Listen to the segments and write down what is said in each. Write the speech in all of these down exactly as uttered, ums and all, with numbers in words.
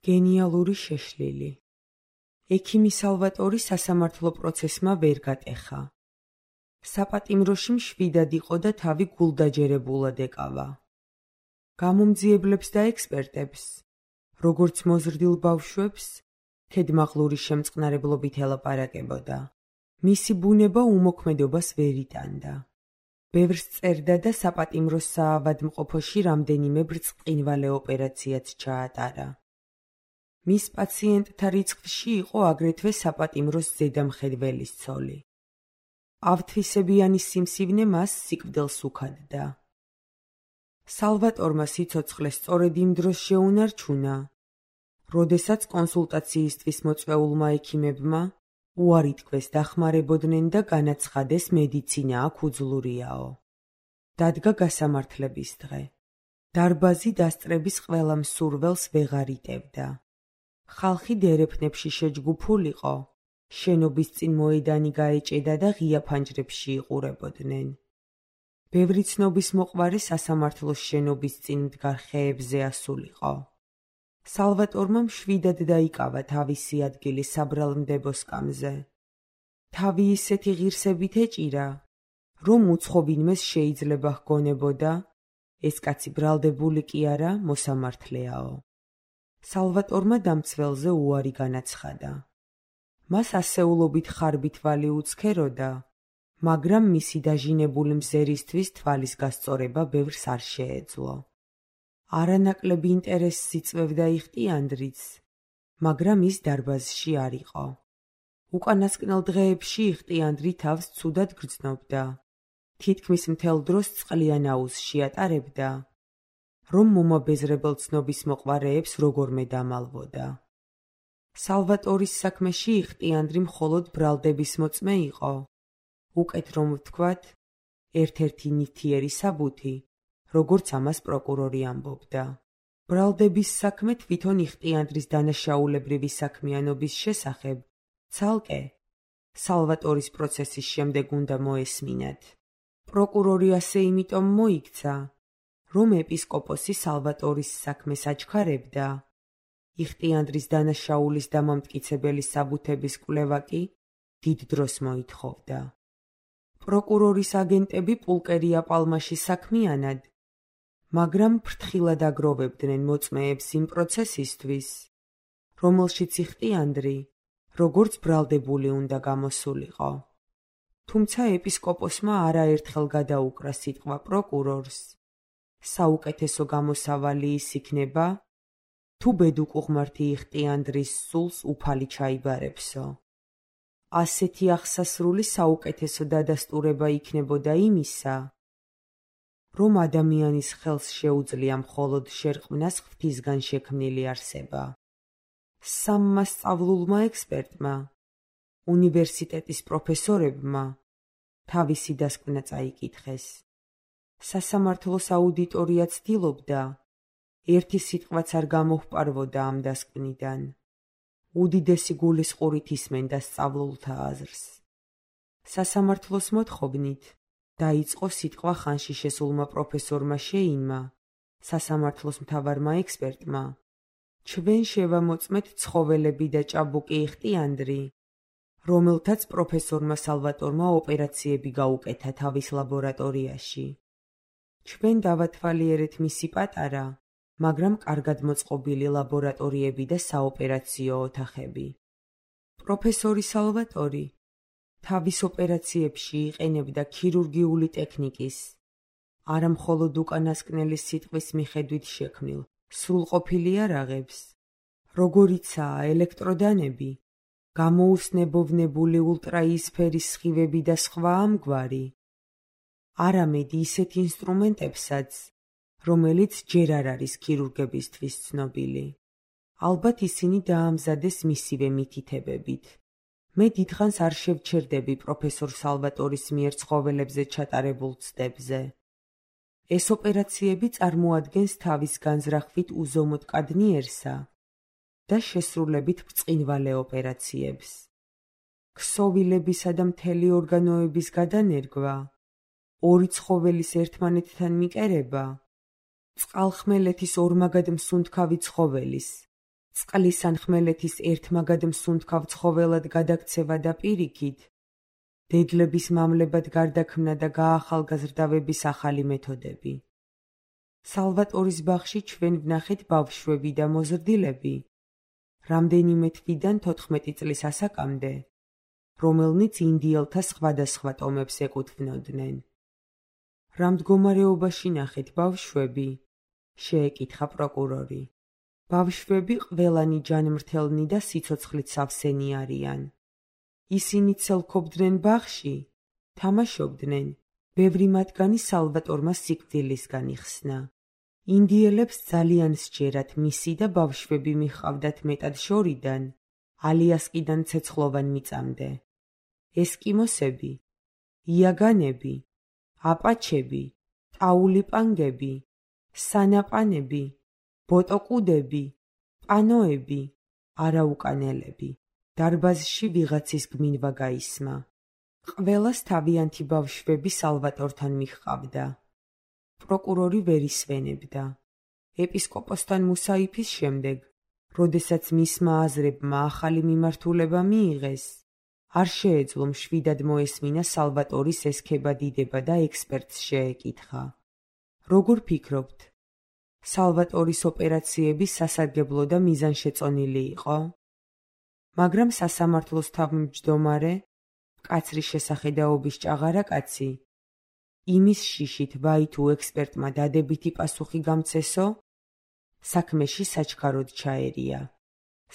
გენიალური შეშლილი. ექიმი სალვატორი სასამართლო პროცესმა ვერ გატეხა. საპატიმროში მშვიდად იყო და თავი გულდაჯერებულად ეკავა. გამომძიებლებს და ექსპერტებს, როგორც მოზრდილ ბავშვებს, ქედმაღლური შემწყნარებლობით ელაპარაკებოდა. მისი ბუნება უმოქმედობას ვერ იტანდა. ბევრს წერდა და საპატიმროს საავადმყოფოში რამდენიმე ბრწყინვალე ოპერაციაც ჩაატარა. მის პაციენტთა რიცხვში იყო აგრეთვე საპატიმროს ზედამხედველის ცოლი. ავთვისებიანი სიმსივნე მას სიკვდილს უქადდა. სალვატორმა სიცოცხლე სწორედ იმ დროს შეუნარჩუნა, როდესაც კონსულტაციისთვის მოწვეულმა ექიმებმა უარი თქვეს დახმარებოდნენ და განაცხადეს მედიცინა აქ უძლურიაო. დადგა გასამართლების დღე. დარბაზი დასწრების ყველა მსურველს ვეღარ იტევდა. ხალხი დერეფნებში შეჯგუფულიყო, შენობის წინ მოედანი გაეჭედა და ღია ფანჯრებში იყურებოდნენ. ბევრი ცნობის მოყვარე სასამართლოს შენობის წინ მდგარ ხეებზე ასულიყო. სალვატორმა მშვიდად დაიკავა თავისი ადგილი საბრალმდებო სკამზე. თავი ისეთი ღირსებით ეჭირა, რომ უცხობინმეს შეიძლება ჰგონებოდა, ეს კაცი ბრალდებული კი არა, მოსამართლეაო. სალვატორმა დამცველზე უარი განაცხადა. მას ასეულობით ხარბით ვალი უცქეროდა, მაგრამ მისი დაჟინებული მზერისთვის თვალის გასწორება ბევრს არ შეეძლო. არანაკლები ინტერესს იწვევდა იხტიანდრიც, მაგრამ ის დარბაზში არ იყო. უკანასკნელ დღეებში იხტიანდრი თავს ცუდად გრძნობდა. თითქმის მთელ დროს წყლიან აუზში ატარებდა, რომ მომაბეზრებელ ცნობის მოყვარეებს როგორმე დამალვოდა. სალვატორის საქმეში იხტიანდრი მხოლოდ ბრალდების მოწმე იყო. უკეთ რომ ვთქვათ, ერთ-ერთი ნივთიერი საბუთი, როგორც ამას პროკურორი ამბობდა. ბრალდების საქმე თვითონ იხტიანდრის დანაშაულებრივი საქმიანობის შესახებ ცალკე სალვატორის პროცესის შემდეგ უნდა მოესმინათ. პროკურორი ასე იმიტომ მოიქცა, რომ ეპისკოპოსი სალვატორის საქმეს აჩქარებდა. იხტიანდრის დანაშაულის დამამტკიცებელი საბუთების კვლევა კი დიდ დროს მოითხოვდა. პროკურორის აგენტები პულკერია პალმაში საქმიანად, მაგრამ ფრთხილად აგროვებდნენ მოწმეებს იმ პროცესისთვის, რომელშიც იხტიანდრი, როგორც ბრალდებული უნდა გამოსულიყო. თუმცა ეპისკოპოსმა არაერთხელ გადაუკრა სიტყვა პროკურორს, საუკეთესო გამოსავალი ის იქნება, თუ ბედუკუღმართი იხტიანდრის სულს უფალი ჩაიბარებსო. ასეთი აღსასრული საუკეთესო დადასტურება იქნებოდა იმისა, რომ ადამიანის ხელს შეუძლია მხოლოდ შერყვნას ღვთისგან შექმნილი არსება. სამმა სწავლულმა ექსპერტმა, უნივერსიტეტის პროფესორებმა თავისი დასკვნა წაიკითხეს. სასამართლოს აუდიტორია ცდილობდა, ერთი სიტყვაც არ გამოჰპარვოდა ამ დასკვნიდან. უდიდესი გულისყურით ისმენდა სწავლულთა აზრს. სასამართლოს მოთხოვნით დაიწყო სიტყვა ხანში შესულმა პროფესორმა შეინმა, სასამართლოს მთავარმა ექსპერტმა, ჩვენ შევამოწმეთ ცხოველები და ჭაბუკი იხტიანდრი, რომელთაც პროფესორმა სალვატორმა ოპერაციები გაუკეთა თავის ლაბორატორიაში. ჩვენ დავათვალიერეთ მისი პატარა, მაგრამ კარგად მოწყობილი ლაბორატორიები და საოპერაციო ოთახები. პროფესორი სალვატორი თავის ოპერაციებში იყენებდა ქირურგიული ტექნიკის, არა მხოლოდ უკანასკნელი სიტყვის მიხედვით შექმნილ სრულყოფილი იარაღებს, როგორიცაა ელექტროდანები, გამოუცნებოვნებული ულტრაიისფერის სხივები და სხვა ამგვარი, არამედ ისეთ ინსტრუმენტებსაც, რომელიც ჯერ არ არის ქირურგებისთვის ცნობილი. ალბათ ისინი დაამზადეს მისივე მითითებებით. მე დიდხანს არ შევჩერდები პროფესორ სალვატორის მიერ ცხოველებზე ჩატარებულ ცდებზე. ეს ოპერაციები წარმოადგენს თავის განზრახვით უზომოდ კადნიერსა და შესრულებით ბრწყინვალე ოპერაციებს. ქსოვილებისა და მთელი ორგანოების გადანერგვა, ორი ცხოველის ერთმანეთთან მიკერება, წყალხმელეთის ორმაგად მსუნთქავი ცხოველის, წყლის ან ხმელეთის ერთმაგად მსუნთქავ ცხოველად გადაქცევა და პირიქით, დედლების მამლებად გარდაქმნა და გაახალგაზრდავების ახალი მეთოდები. სალვატორის ბაღში ჩვენ ვნახეთ ბავშვები და მოზრდილები, რამდენიმე თვიდან თოთხმეტი წლის ასაკამდე, რომელნიც ინდიელთა სხვადასხვა ტომებს ეკუთვნოდნენ. რა მდგომარეობაში ნახეთ ბავშვები? შეეკითხა პროკურორი. ბავშვები ყველანი ჯანმრთელნი და სიცოცხლით სავსენი არიან. ისინი ცელქობდნენ ბაღში, თამაშობდნენ, ბევრი მათგანი სალვატორმა სიკვდილისგან იხსნა. ინდიელებს ძალიან სჯერათ მისი და ბავშვები მიჰყავდათ მეტად შორიდან, ალიასკიდან ცეცხლოვან მიწამდე. ესკიმოსები, იაგანები, აპაჩები, ტაულიპანგები, სანაპანები, ბოტოკუდები, პანოები, არაუკანელები. დარბაზში ვიღაცის გმინვა გაისმა. ყველას თავიანთი ბავშვები სალვატორთან მიჰყავდა. პროკურორი ვერ ისვენებდა. ეპისკოპოსთან მუსაიფის შემდეგ, როდესაც მისმა აზრებმა ახალი მიმართულება მიიღეს, არ შეეძლო მშვიდად მოესმინა სალვატორის ესქება დიდება და ექსპერტს შეეკითხა. როგორ ფიქრობთ? სალვატორის ოპერაციები სასარგებლო და მიზანშეწონილი იყო? მაგრამ სასამართლოს თავმჯდომარე, მკაცრი შესახედაობის ჭაღარა კაცი, იმის შიშით ვაი თუ ექსპერტმა დადებითი პასუხი გამცესო, საქმეში საჩქაროდ ჩაერია.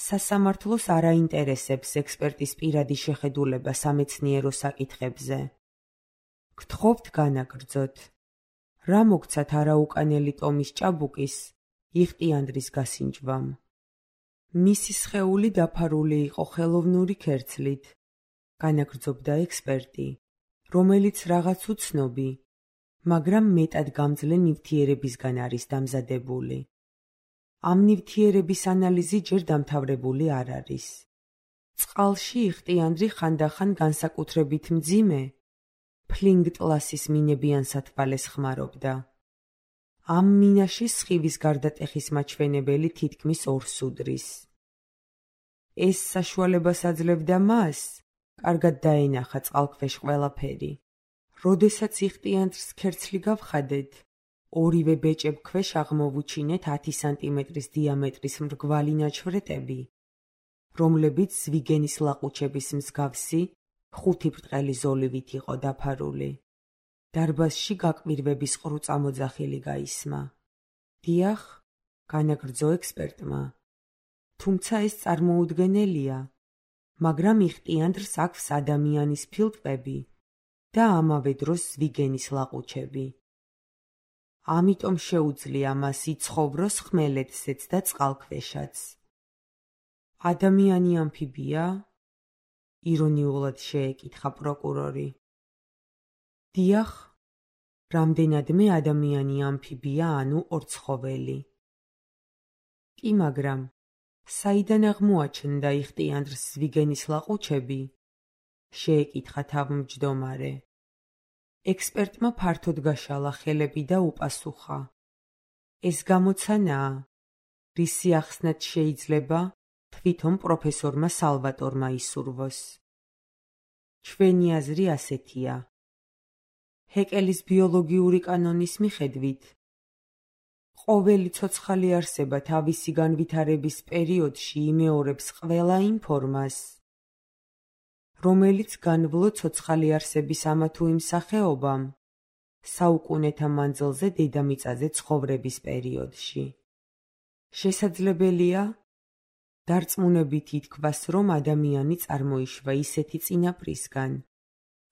სასამართლოს არ აინტერესებს ექსპერტის პირადი შეხედულება სამეცნიერო საკითხებზე. გთხოვთ განაგრძოთ. რა მოგცათ არაუკანელი ტომის ჭაბუკის, იხტიანდრის გასინჯვამ? მისი სხეული დაფარული იყო ხელოვნური ქერცლით, განაგრძობდა ექსპერტი, რომელიც რაღაც უცნობი, მაგრამ მეტად გამძლე ნივთიერებისგან არის დამზადებული. ამ ნივთიერების ანალიზი ჯერ დამთავრებული არ არის. წყალში იხტიანდრი ხანდახან განსაკუთრებით მძიმე, ფლინგტლასის მინებიან სათვალეს ხმარობდა. ამ მინაში სხივის გარდატეხის მაჩვენებელი თითქმის ორს უდრის. ეს საშუალებას აძლევდა მას, კარგად დაენახა წყალქვეშ ყველაფერი. როდესაც იხტიანდრს ქერცლი გავხადეთ, ორივე ბეჭებქვეშ აღმოვუჩინეთ ათი სანტიმეტრის დიამეტრის მრგვალი ნაჩვრეტები, რომლებიც ზვიგენის ლაყუჩების მსგავსი ხუთი ბრტყელი ზოლივით იყო დაფარული. დარბაზში გაკვირვების ყრუწა მოძახილი გაისმა. დიახ, განაგრძო ექსპერტმა. თუმცა ეს წარმოუდგენელია, მაგრამ იხტიანდრს აქვს ადამიანის ფილტვები და ამავე დროს ზვიგენის ლაყუჩები. ამიტომ შეუძლია მას იცხოვროს ხმელეთზეც და წყალქვეშაც. ადამიანი ამფიბია? ირონიულად შეეკითხა პროკურორი. დიახ, რამდენადმე ადამიანი ამფიბია, ანუ ორცხოველი. კი, მაგრამ საიდან აღმოაჩნდა იხტიანდრს ზვიგენის ლაყუჩები? შეეკითხა თავმჯდომარე. ექსპერტმა ფართოდ გაშალა ხელები და უპასუხა. ეს გამოცანაა, რისი ახსნაც შეიძლება თვითონ პროფესორმა სალვატორმა ისურვოს. ჩვენი აზრი ასეთია. ჰეკელის ბიოლოგიური კანონის მიხედვით, ყოველი ცოცხალი არსება თავისი განვითარების პერიოდში იმეორებს ყველა იმ ფორმას, რომელიც განვლო ცოცხალი არსების ამა თუ იმ სახეობამ, საუკუნეთა მანძილზე დედამიწაზე ცხოვრების პერიოდში. შესაძლებელია, დარწმუნებით ითქვას, რომ ადამიანი წარმოიშვა ისეთი წინაპრისგან,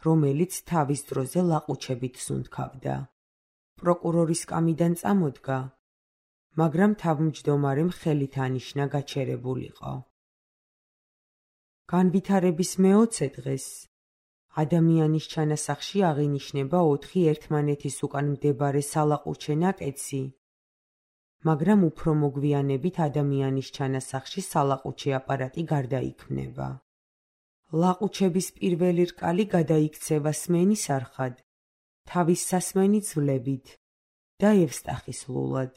რომელიც თავის დროზე ლაყუჩებით სუნთქავდა. პროკურორის კამიდან წამოდგა, მაგრამ თავმჯდომარემ ხელით ანიშნა გაჩერებულიყო. განვითარების მეოცე დღეს ადამიანის ჩანასახში აღინიშნება ოთხი ერთმანეთის უკან მდებარე სალაყუჩე ნაკეცი, მაგრამ უფრო მოგვიანებით ადამიანის ჩანასახში სალაყუჩე აპარატი გარდაიქმნება. ლაყუჩების პირველი რკალი გადაიქცევა სმენის არხად, თავის სასმენი ძვლებით და ევსტახის ლულად.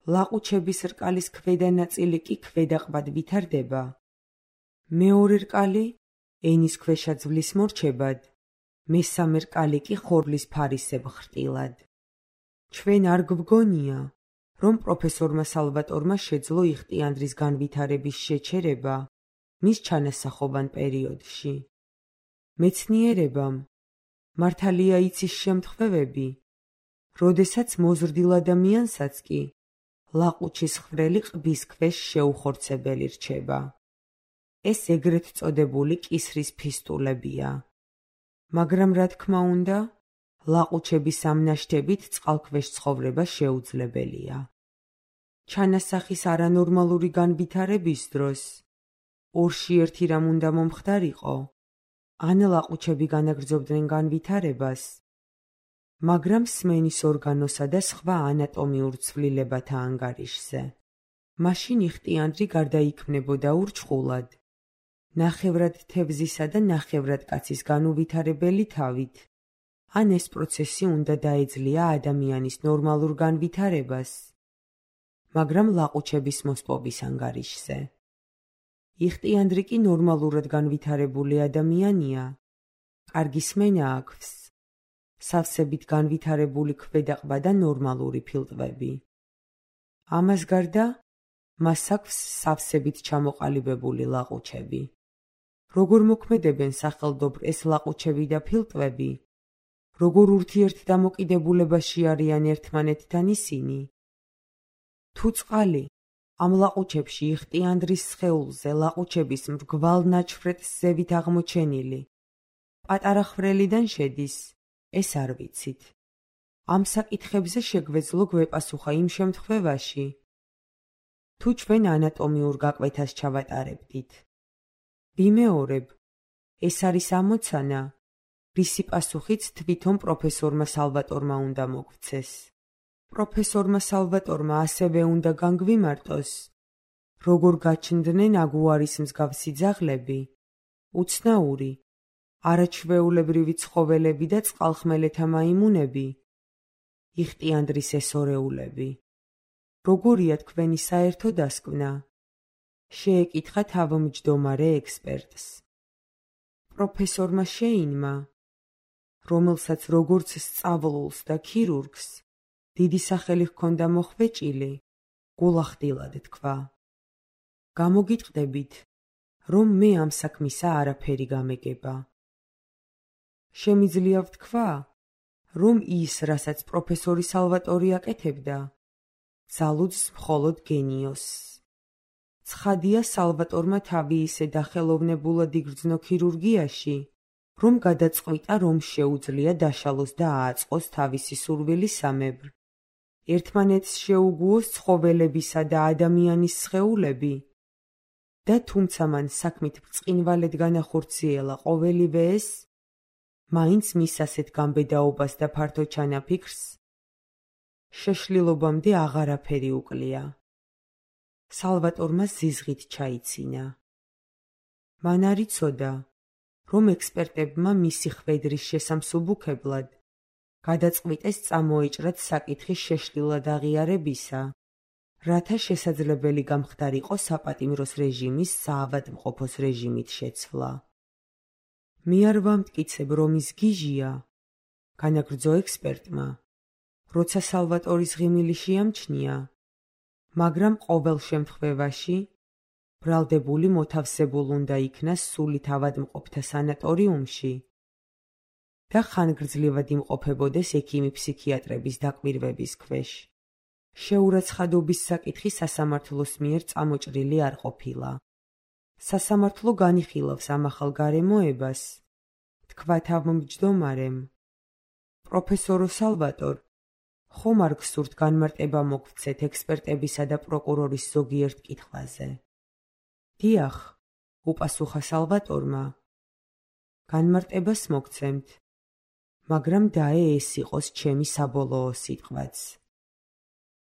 ლაყუჩების რკალის ქვედა ნაწილი კი ქვედაყბად ვითარდება. მეორე რკალი ენის ქვეშა ძვლის მორჩებად, მესამე რკალი კი ხორბლის ფარისებ ხრტილად. ჩვენ არ გვგონია, რომ პროფესორმა სალვატორმა შეძლო იხტიანდრის განვითარების შეჩერება მის ჩანასახობან პერიოდში. მეცნიერებამ მართალია იცის შემთხვევები, როდესაც მოზრდილ ადამიანსაც კი ლაყუჩის ხვრელი ყბის ქვეშ შეუხორცებელი რჩება. ეს ეგრეთ წოდებული კისრის ფისტულებია. მაგრამ რა თქმა უნდა, ლაყუჩების ამ ნაშთებით წყალქვეშ ცხოვრება შეუძლებელია. ჩანასახის არანორმალური განვითარების დროს ორში ერთი რამ უნდა მომხდარიყო, ან ლაყუჩები განაგრძობდნენ განვითარებას, მაგრამ სმენის ორგანოსა და სხვა ანატომიურ ცვლილებათა ანგარიშზე. მაშინ იხტიანდრი გარდაიქმნებოდა ურჩხულად, ნახევრად თევზისა და ნახევრად კაცის განუვითარებელი თავით, ან ეს პროცესი უნდა დაეძლია ადამიანის ნორმალურ განვითარებას, მაგრამ ლაყუჩების მოსპობის ანგარიშზე. იხტიანდრი კი ნორმალურად განვითარებული ადამიანია, კარგი სმენა აქვს, სავსებით განვითარებული ქვედაყბა და ნორმალური ფილტვები. ამას გარდა, მას აქვს სავსებით ჩამოყალიბებული ლაყუჩები. როგორ მოქმედებენ სახელდობრ ეს ლაყუჩები და ფილტვები, როგორ ურთიერთდამოკიდებულებაში არიან ერთმანეთთან ისინი? თუ წყალი ამ ლაყუჩებში იხტიანდრის სხეულზე ლაყუჩების მრგვალ ნაჩვრეტს ზევით აღმოჩენილი პატარა ხვრელიდან შედის, ეს არ ვიცით. ამ საკითხებზე შეგვეძლო გვეპასუხა იმ შემთხვევაში, თუ ჩვენ ანატომიურ გაკვეთას ჩავატარებდით. ვიმეორებ, ეს არის ამოცანა, რისი პასუხიც თვითონ პროფესორმა სალვატორმა უნდა მოგვცეს. პროფესორმა სალვატორმა ასევე უნდა განგვიმარტოს, როგორ გაჩნდნენ აგუარის მსგავსი ძაღლები, უცნაური, არაჩვეულებრივი ცხოველები და წყალხმელეთა მაიმუნები, იხტიანდრის ესორეულები. როგორია თქვენი საერთო დასკვნა? შეეკითხა თავმჯდომარე ექსპერტს. პროფესორმა შეინმა, რომელსაც როგორც სწავლულს და ქირურგს დიდი სახელი ჰქონდა მოხვეჭილი, გულახდილად თქვა. გამოგიტყდებით, რომ მე ამ საქმისა არაფერი გამეგება. შემიძლია ვთქვა, რომ ის, რასაც პროფესორი სალვატორი აკეთებდა, ძალუძს მხოლოდ გენიოსს. ცხადია სალვატორმა თავი ისე დახელოვნებულად იგრძნო ქირურგიაში, რომ გადაწყვიტა, რომ შეუძლია დაშალოს და ააწყოს თავისი სურვილი სამებრ. ერთმანეთს შეუგუოს ცხოველებისა და ადამიანის სხეულები და თუმცა მან საქმით ბრწყინვალედ განახორციელა ყოველივე ეს, მაინც მის ასეთ გამბედაობას და ფართო ჩანაფიქრს შეშლილობამდე აღარაფერი უკლია. სალვატორმა ზიზღით ჩაიცინა. მან არ იცოდა, რომ ექსპერტებმა მისი ხვედრის შესამსუბუქებლად გადაწყვიტეს წამოეჭრათ საკითხის შეშლილად აღიარებისა, რათა შესაძლებელი გამხდარიყო საპატიმროს რეჟიმის საავადმყოფოს რეჟიმით შეცვლა. მე არ ვამტკიცებ, რომ ის გიჟია, განაგრძო ექსპერტმა, როცა სალვატორის ღიმილი შეამჩნია, მაგრამ ყოველ შემთხვევაში ბრალდებული მოთავსებულ უნდა იქნას სულით ავადმყოფთა სანატორიუმში და ხანგრძლივად იმყოფებოდეს ექიმი-ფსიქიატრების დაკვირვების ქვეშ. შეურაცხადობის საკითხი სასამართლოს მიერ წამოჭრილი არ ყოფილა. სასამართლო განიხილავს ამ ახალ გარემოებას, თქვა თავმჯდომარემ. პროფესორო სალვატორ, ხომ არ გსურთ განმარტება მოგვრცეთ ექსპერტებისა და პროკურორის ზოგიერთ კითხვაზე? დიახ, უპასუხა სალვატორმა. განმარტებას მოგცემთ, მაგრამ დაე ეს იყოს ჩემი საბოლოო სიტყვაც.